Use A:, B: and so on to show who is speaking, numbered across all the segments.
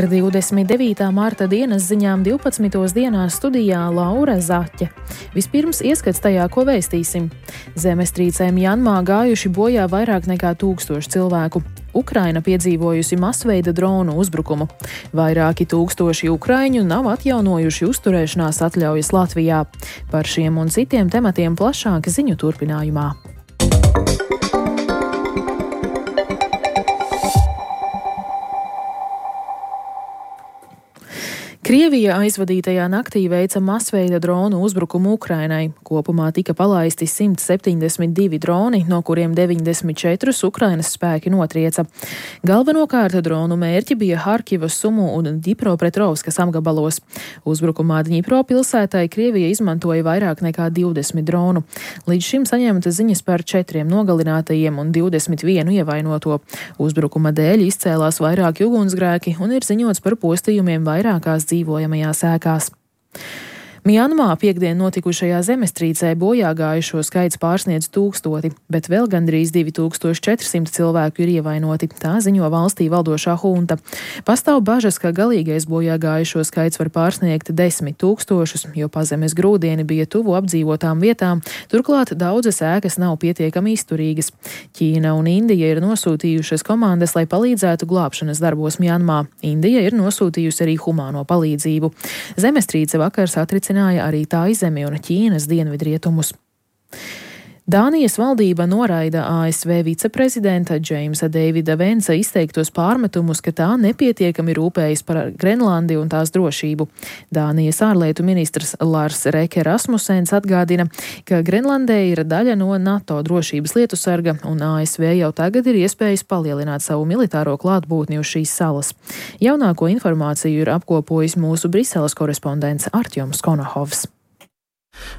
A: Ar 29. marta dienas ziņām 12. dienā studijā Laura Zaķe. Vispirms ieskats tajā, ko vēstīsim. Zemestrīcē Mjanmā gājuši bojā vairāk nekā 1000 cilvēku. Ukraina piedzīvojusi masveida dronu uzbrukumu. Vairāki tūkstoši ukraiņu nav atjaunojuši uzturēšanās atļaujas Latvijā. Par šiem un citiem tematiem plašāk ziņu turpinājumā. Krievija aizvadītajā naktī veica masveida dronu uzbrukumu Ukrainai. Kopumā tika palaisti 172 droni, no kuriem 94 Ukrainas spēki notrieca. Galvenokārt dronu mērķi bija Harkivas, Sumu un Dņipropetrovskas apgabalos. Uzbrukumā Dņipro pilsētai Krievija izmantoja vairāk nekā 20 dronu. Līdz šim saņemta ziņas par 4 nogalinātajiem un 21 ievainoto. Uzbrukuma dēļ izcēlās vairāki ugunsgrēki un ir ziņots par postījumiem vairākās dzīvojamajās ēkās. Mjanmā piekdien notikušajā zemestrīcē bojā gājušo skaits pārsniedz 1000, bet vēl gandrīz 2400 cilvēku ir ievainoti, tā ziņo valstī valdošā hunta. Pastāv bažas, ka galīgais bojā gājušo skaits var pārsniegt 10 000, jo pazemes grūdieni bija tuvu apdzīvotām vietām, turklāt daudzas ēkas nav pietiekami izturīgas. Ķīna un Indija ir nosūtījušas komandas, lai palīdzētu glābšanas darbos Mjanmā. Indija ir nosūtījusi arī humāno palīdzību. Zemestrīce vakar satricināja arī Taizemi un Ķīnas dienvidrietumus. Dānijas valdība noraida ASV viceprezidenta Jamesa Davida Vensa izteiktos pārmetumus, ka tā nepietiekami rūpējas par Grenlandi un tās drošību. Dānijas ārlietu ministrs Lars Reke Rasmussens atgādina, ka Grenlandē ir daļa no NATO drošības lietu sarga, un ASV jau tagad ir iespējas palielināt savu militāro klātbūtni uz šīs salas. Jaunāko informāciju ir apkopojis mūsu Briseles korespondents Artjoms Konohovs.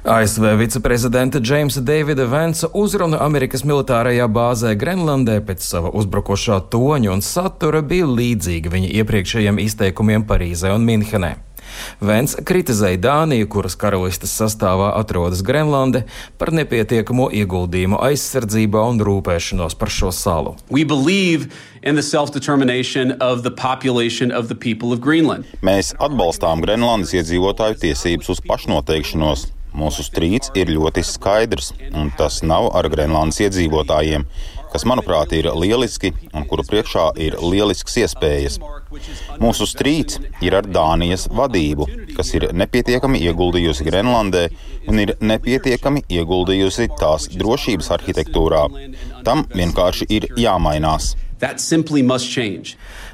B: ASV viceprezidenta Jamesa Davida Vensa uzruna Amerikas militārajā bāzē Grenlandē pēc sava uzbrukošā toņa un satura bija līdzīga viņa iepriekšējiem izteikumiem Parīzē un Minhenē. Vens kritizēja Dāniju, kuras karalistes sastāvā atrodas Grenlande, par nepietiekamo ieguldījumu aizsardzībā un rūpēšanos par šo salu.
C: Mēs atbalstām Grenlandes iedzīvotāju tiesības uz pašnoteikšanos. Mūsu strīds ir ļoti skaidrs, un tas nav ar Grenlandes iedzīvotājiem, kas, manuprāt, ir lieliski un kuru priekšā ir lielisks iespējas. Mūsu strīds ir ar Dānijas vadību, kas ir nepietiekami ieguldījusi Grenlandē un ir nepietiekami ieguldījusi tās drošības arhitektūrā. Tam vienkārši ir jāmainās.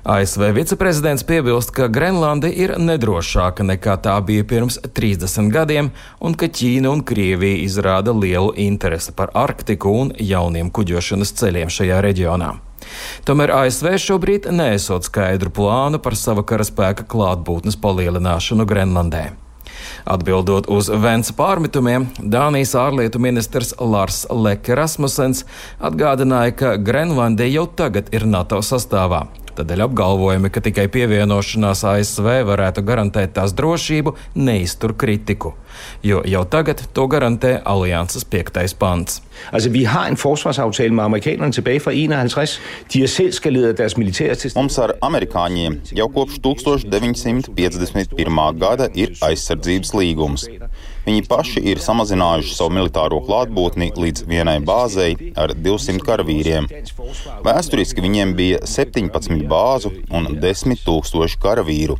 B: ASV viceprezidents piebilst, ka Grenlande ir nedrošāka nekā tā bija pirms 30 gadiem un ka Ķīna un Krievija izrāda lielu interesi par Arktiku un jauniem kuģošanas ceļiem šajā reģionā. Tomēr ASV šobrīd neesot skaidru plānu par sava karaspēka klātbūtnes palielināšanu Grenlandē. Atbildot uz Vensa pārmetumiem, Dānijas ārlietu ministrs Lars Reke Rasmussens atgādināja, ka Grenlande jau tagad ir NATO sastāvā. Tādēļ apgalvojumi, ka tikai pievienošanās ASV varētu garantēt tās drošību, neiztur kritiku, jo jau tagad to garantē alianses 5. pants.
D: Vi har en forsvarsaftale med amerikanerne tilbage fra 51. De har selv skaleret deres militære til.
C: Mums ar amerikāņiem jau kopš 1951. gada ir aizsardzības līgums. Viņi paši ir samazinājuši savu militāro klātbūtni līdz vienai bāzei ar 200 karavīriem. Vēsturiski viņiem bija 17 bāzu un 10 000 karavīru.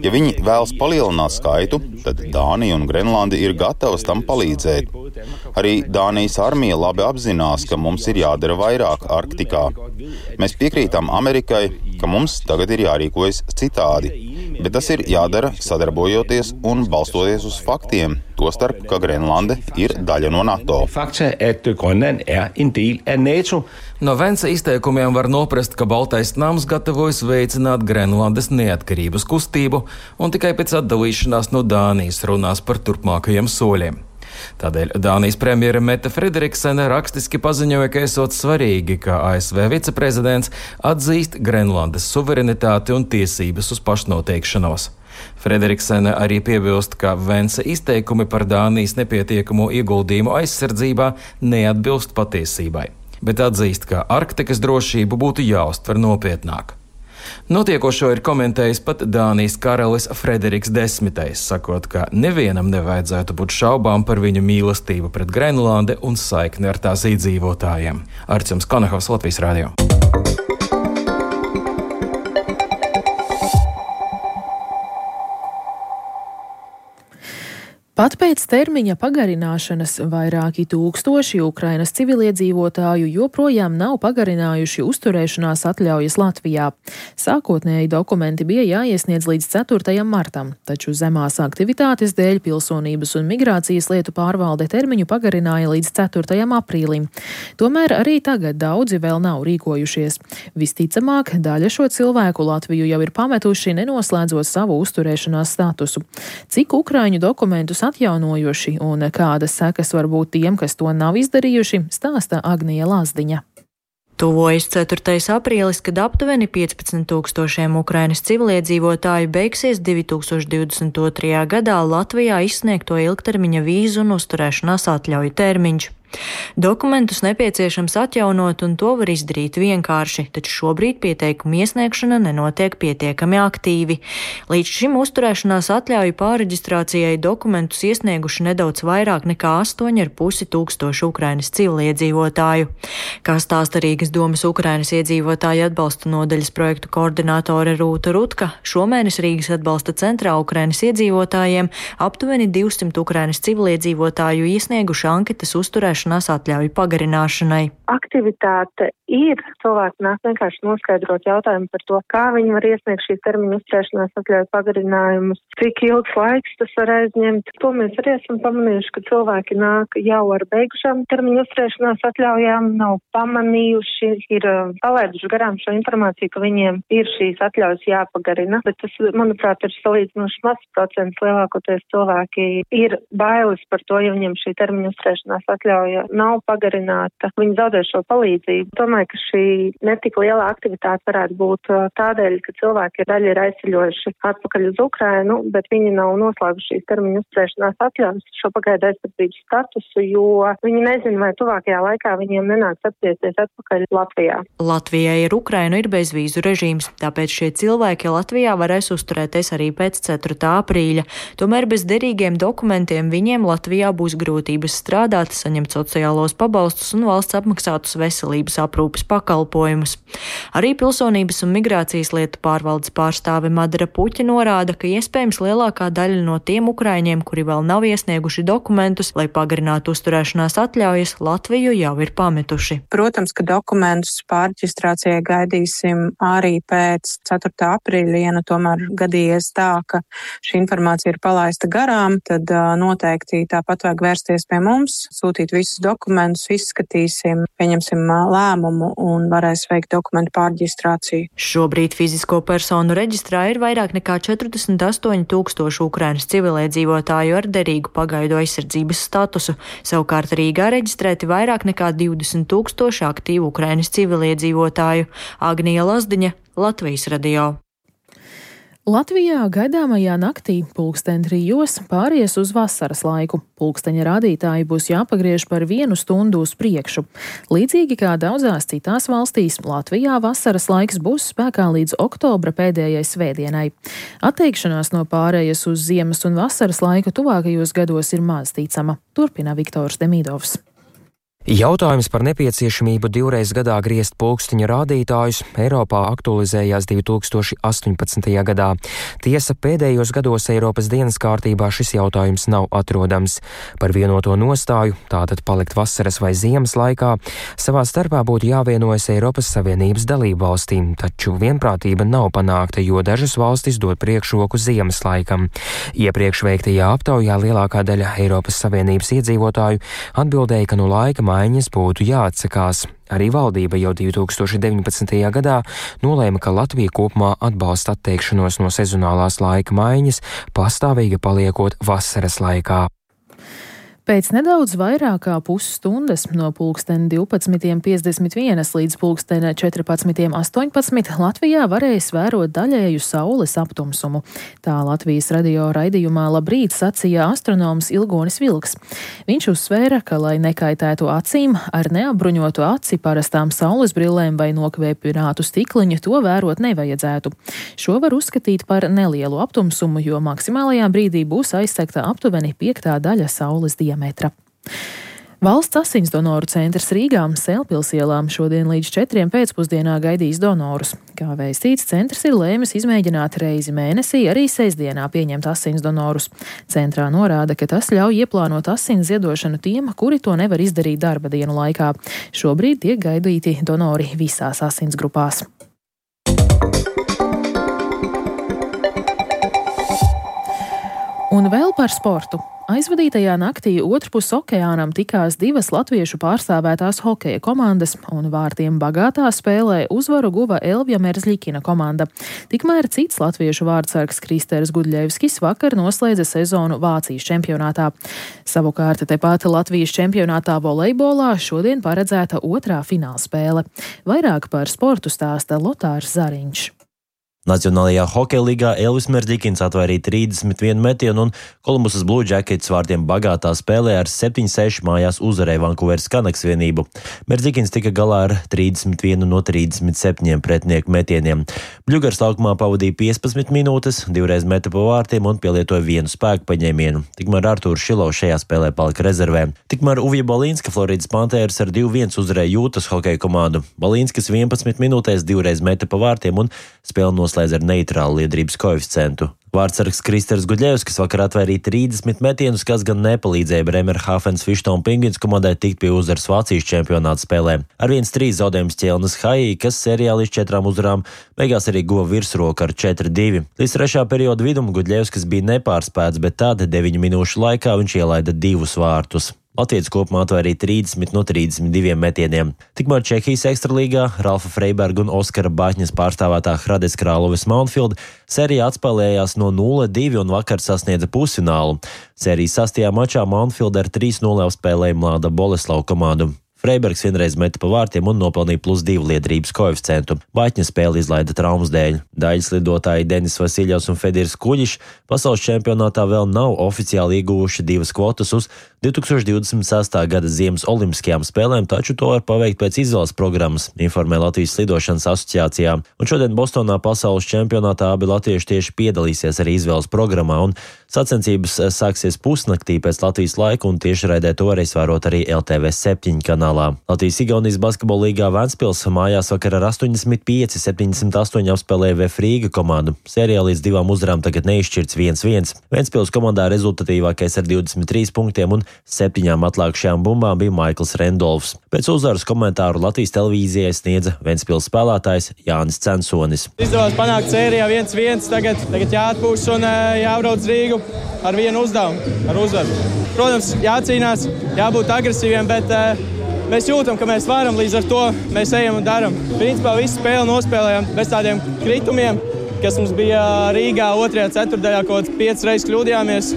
C: Ja viņi vēlas palielināt skaitu, tad Dānija un Grenlande ir gatavas tam palīdzēt. Arī Dānijas armija labi apzinās, ka mums ir jādara vairāk Arktikā. Mēs piekrītam Amerikai, ka mums tagad ir jārīkojas citādi, bet tas ir jādara sadarbojoties un balstoties uz faktiem, tostarp, ka Grenlande ir daļa no NATO.
B: No Vensa izteikumiem var noprast, ka Baltais nams gatavojas veicināt Grenlandes neatkarības kustību un tikai pēc atdalīšanās no Dānijas runās par turpmākajiem soļiem. Tādēļ Dānijas premjere Mette Frederiksene rakstiski paziņoja, ka esot svarīgi, ka ASV viceprezidents atzīst Grenlandes suverenitāti un tiesības uz pašnoteikšanos. Frederiksene arī piebilst, ka Vensa izteikumi par Dānijas nepietiekamo ieguldījumu aizsardzībā neatbilst patiesībai, bet atzīst, ka Arktikas drošību būtu jāuztver nopietnāk. Notiekošo ir komentējis pat Dānijas karalis Frederiks X, sakot, ka nevienam nevajadzētu būt šaubām par viņu mīlestību pret Grenlandi un saikni ar tās iedzīvotājiem. Arčuns Konahovs, Latvijas radio.
A: Pat pēc termiņa pagarināšanas vairāki tūkstoši Ukrainas civiliedzīvotāju joprojām nav pagarinājuši uzturēšanās atļaujas Latvijā. Sākotnēji dokumenti bija jāiesniedz līdz 4. martam, taču zemās aktivitātes dēļ Pilsonības un migrācijas lietu pārvalde termiņu pagarināja līdz 4. aprīlim. Tomēr arī tagad daudzi vēl nav rīkojušies. Visticamāk, daļa šo cilvēku Latviju jau ir pametuši, nenoslēdzot savu uzturēšanās statusu. Cik ukraiņu dokumentus atjaunojuši un kādas sekas var būt tiem, kas to nav izdarījuši, stāsta Agnija Lazdiņa.
E: Tuvojas 4. aprīlis, kad aptuveni 15,000 Ukrainas civiliedzīvotāju beigsies 2022. gadā Latvijā izsniegto ilgtermiņa vīzu un uzturēšanās atļauju termiņš. Dokumentus nepieciešams atjaunot, un to var izdarīt vienkārši, taču šobrīd pieteikumu iesniegšana nenotiek pietiekami aktīvi. Līdz šim uzturēšanās atļauju pārreģistrācijai dokumentus iesnieguši nedaudz vairāk nekā 8,5 tūkstoši Ukrainas civiliedzīvotāju. Kā stāsta Rīgas domas Ukrainas iedzīvotāju atbalsta nodaļas projektu koordinātore Rūta Rutka, šomēnes Rīgas atbalsta centrā Ukrainas iedzīvotājiem aptuveni 200 Ukrainas civiliedzīvotāju iesnieguši anketas uzturēšanās atļauju pagarināšanai.
F: Aktivitāte ir, cilvēki nāk vienkārši noskaidrot jautājumu par to, kā viņi var iesniegt šīs termiņu uzturēšanās atļauju pagarinājumus, cik ilgs laiks tas var aizņemt. To mēs arī esam pamanījuši, ka cilvēki nāk jau ar beigušām termiņu uzturēšanās atļaujām, nav pamanījuši, ir palaiduši garām šo informāciju, ka viņiem ir šīs atļaujas jāpagarina, bet tas, manuprāt, ir salīdzinoši mazs procents. Lielākoties cilvēki ir bailes par to, ja viņiem šī termiņu uzturēšanās atļauja nav pagarināta, viņi zaudē šo palīdzību. Domāju, ka šī netik liela aktivitāte varētu būt tādēļ, ka cilvēki daļa ir aizceļojuši atpakaļ uz Ukrainu, bet viņi nav noslēguši šīs termiņu uzturēšanās atļaujas, šo pagaidu aizsardzības statusu, jo viņi nezina, vai tuvākajā laikā viņiem nenāks atgriezties atpakaļ Latvijā.
E: Latvijai ar Ukrainu ir bezvīzu režīms, tāpēc šie cilvēki Latvijā varēs uzturēties arī pēc 4. aprīļa. Tomēr bez derīgiem dokumentiem viņiem Latvijā būs grūtības strādāt, saņemt sociālos pabalstus un valsts apmaksātus veselības aprūpes pakalpojumus. Arī Pilsonības un migrācijas lietu pārvaldes pārstāve Madara Puķa norāda, ka iespējams lielākā daļa no tiem ukraiņiem, kuri vēl nav iesnieguši dokumentus, lai pagarinātu uzturēšanās atļaujas, Latviju jau ir pametuši.
G: Protams, ka dokumentus pārreģistrācijai gaidīsim arī pēc 4. aprīļa, ja tomēr gadījies tā, ka šī informācija ir palaista garām, tad noteikti tāpat vajag vērsties pie mums, sūtīt visus dokumentus, izskatīsim, pieņemsim lēmumu un varēs veikt dokumentu pārreģistrāciju.
E: Šobrīd fizisko personu reģistrā ir vairāk nekā 48,000 Ukrainas civiliedzīvotāju ar derīgu pagaidu aizsardzības statusu. Savukārt Rīgā reģistrēti vairāk nekā 20,000 aktīvu Ukrainas civiliedzīvotāju. Agnija Lazdiņa, Latvijas radio.
A: Latvijā gaidāmajā naktī 3:00 pāries uz vasaras laiku. Pulksteņa rādītāji būs jāpagriež par 1 stundu uz priekšu. Līdzīgi kā daudzās citās valstīs, Latvijā vasaras laiks būs spēkā līdz oktobra pēdējai svētdienai. Atteikšanās no pārējas uz ziemas un vasaras laiku tuvākajos gados ir maz ticama, turpina Viktors Demidovs.
H: Jautājums par nepieciešamību divreiz gadā griezt pulksteņa rādītājus Eiropā aktualizējās 2018. gadā. Tiesa, pēdējos gados Eiropas dienas kārtībā šis jautājums nav atrodams. Par vienoto nostāju, tātad palikt vasaras vai ziemas laikā, savā starpā būtu jāvienojas Eiropas Savienības dalību valstīm, taču vienprātība nav panākta, jo dažas valstis dod priekšroku ziemas laikam. Iepriekš veiktajā aptaujā lielākā daļa Eiropas Savienības iedzīvotāju atbildēja, ka no laika maiņas būtu jāatsakās. Arī valdība jau 2019. gadā nolēma, ka Latvija kopumā atbalsta atteikšanos no sezonālās laika maiņas, pastāvīgi paliekot vasaras laikā.
A: Pēc nedaudz vairāk kā pusstundas no pulksten 12.51 līdz pulksten 14.18 Latvijā varēs vērot daļēju saules aptumsumu. Tā Latvijas radio raidījumā Labrīt sacīja astronoms Ilgonis Vilks. Viņš uzsvēra, ka, lai nekaitētu acīm, ar neapbruņotu aci, parastām saules brillēm vai nokvēpinātu stikliņu to vērot nevajadzētu. Šo var uzskatīt par nelielu aptumsumu, jo maksimālajā brīdī būs aizsegta aptuveni 5. daļa saules diametra. Valsts asinsdonoru centrs Rīgā Sēlpils ielām šodien līdz 4 pēcpusdienā gaidīs donorus. Kā vēstīts, centrs ir lēmis izmēģināt reizi mēnesī arī sestdienā pieņemt asinsdonorus. Centrā norāda, ka tas ļauj ieplānot asins ziedošanu tiem, kuri to nevar izdarīt darba dienu laikā. Šobrīd tiek gaidīti donori visās asinsgrupās. Un vēl par sportu. Aizvadītajā naktī otrpus okeānam tikās 2 latviešu pārstāvētās hokeja komandas, un vārtiem bagātā spēlē uzvaru guva Elvija Merzļikina komanda. Tikmēr cits latviešu vārdsargs Kristers Gudļevskis vakar noslēdza sezonu Vācijas čempionātā. Savukārt tepat Latvijas čempionātā volejbolā šodien paredzēta 2. finālspēle. Vairāk par sportu stāsta Lotārs Zariņš.
I: Nacionālajā hokeja līgā Elvis Merzļikins atvairīja 31 metienu un Kolumbusas Blue Jackets vārtiem bagātā spēlē ar 7-6 mājās uzvarēja Vankūveras Canucks vienību. Merzļikins tika galā ar 31 no 37 pretinieku metieniem. Bļugars laukumā pavadīja 15 minūtes, 2 reiz meta pa vārtiem un pielietoja 1 spēku paņēmienu. Tikmēr Artūrs Šilovs šajā spēlē palika rezervē. Tikmēr Uvija Balīnska Floridas Panthers ar 2-1 uzvarēja Jūtas hokeja komandu. Balīnskas 11 minūtēs 2 reiz meta pa vārtiem un spēle noslēdz ar neitrālu liederības koeficientu. Vārdsargs Kristers Gudļevskis vakar atvairīja 30 metienus, kas gan nepalīdzēja Bremerhāfens Fištona Penguins komandai tikt pie uzvaras Vācijas čempionāta spēlē. Ar 1-3 zaudējums ķelnes Haī, kas sērijā līdz 4 uzvarām, beigās arī guva virsroku ar 4-2. Līdz 3. perioda vidum Gudļevskis bija nepārspēts, bet tad 9 minūšu laikā viņš ielaida 2 vārtus. Latvijas kopumā atvairīja 30 no 32 metieniem. Tikmēr Čehijas ekstralīgā Ralfa Freiberga un Oskara Baķņas pārstāvētā Hradec Krāloves Mountfield sērijā atspēlējās no 0-2 un vakar sasniedza pusfinālu. Sērijas 6. mačā Mountfield ar 3-0 apspēlēja Mlāda Boleslavu komandu. Freibergs vienreiz meta pa vārtiem un nopelnīja +2 liederības koeficientu. Baķņa spēli izlaida traumas dēļ. Daļas lidotāji Denis Vasiļovs un Fedirs Kuģišs pasaules čempionātā vēl nav oficiāli ieguvuši 2 kvotas uz 2026. gada Ziemas olimpiskajām spēlēm, taču to var paveikt pēc izvēles programmas, informē Latvijas Slidošanas asociācijā. Un šodien Bostonā pasaules čempionātā abi latvieši tieši piedalīsies arī izvēles programmā, un sacensības sāksies pusnaktī pēc Latvijas laika, un tiešraidē to varēs vērot arī LTV 7 kanālā. Latvijas-Igaunijas basketbola līgā Ventspils mājās vakar ar 85-78 apspēlēja VF Rīga komandu. Sērijā līdz 2 uzvarām tagad neizšķirts 1-1. Ventspils komandā rezultatīvākais ar 23 punktiem un 7 atlikušajām bumbām bija Maikls Rendolfs. Pēc uzvaras komentāru Latvijas televīzijai sniedza Ventspils spēlētājs Jānis Censonis.
J: Izdevās panākt sērijā 1-1, tagad jāatpūš un jābrauc Rīgu ar vienu uzdevumu, ar uzvaru. Protams, jācīnās, jābūt agresīviem, bet mēs jūtam, ka mēs varam, līdz ar to mēs ejam un daram. Principā visu spēli nospēlējām bez tādiem kritumiem, kas mums bija Rīgā 2. ceturtdaļā, kaut 5 reizes kļūdījāmies.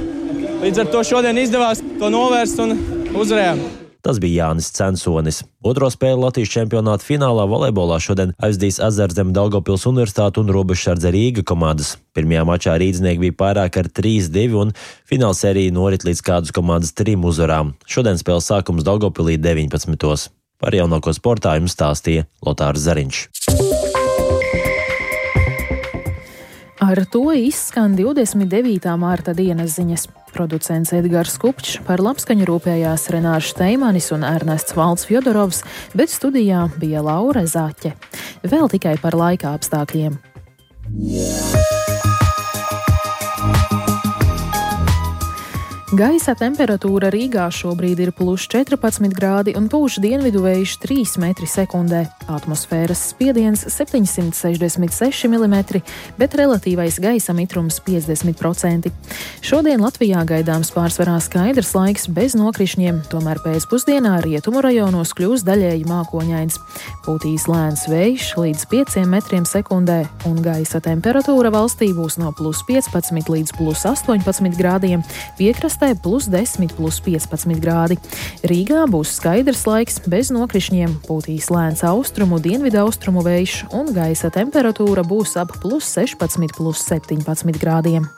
J: Līdz ar to šodien izdevās to novērst un uzvarējām.
I: Tas bija Jānis Censonis. Otro spēli Latvijas čempionāta finālā volejbolā šodien aizdīs Ezerzeme Daugavpils Universitāte un Robežsardze Rīga komandas. Pirmajā mačā rīdznieki bija pārāk ar 3-2 un finālsērija norit līdz kādas komandas 3 uzvarām. Šodien spēles sākums Daugavpilī 19. Par jaunāko sportā jums stāstīja Lotārs Zariņš.
A: Ar to izskan 29. mārta dienas ziņas. Producents Edgars Kupčs, par labskaņu rūpējās Renārs Steimanis un Ernests Valds Fjodorovs, bet studijā bija Laura Zaķe. Vēl tikai par laika apstākļiem. Gaisa temperatūra Rīgā šobrīd ir +14 grādi un pūš dienvidu vējš 3 metri sekundē. Atmosfēras spiediens 766 mm, bet relatīvais gaisa mitrums 50%. Šodien Latvijā gaidāms pārsvarā skaidrs laiks bez nokrišņiem, tomēr pēcpusdienā rietumu rajonos kļūs daļēji mākoņains. Pūtīs lēns vējš līdz 5 metriem sekundē un gaisa temperatūra valstī būs no +15 līdz +18 grādiem, piekrastē Rīgpilsētā +10, +15 grādi. Rīgā būs skaidrs laiks bez nokrišņiem, pūtīs lēns austrumu, dienvidaustrumu vējš un gaisa temperatūra būs ap +16, +17 grādiem.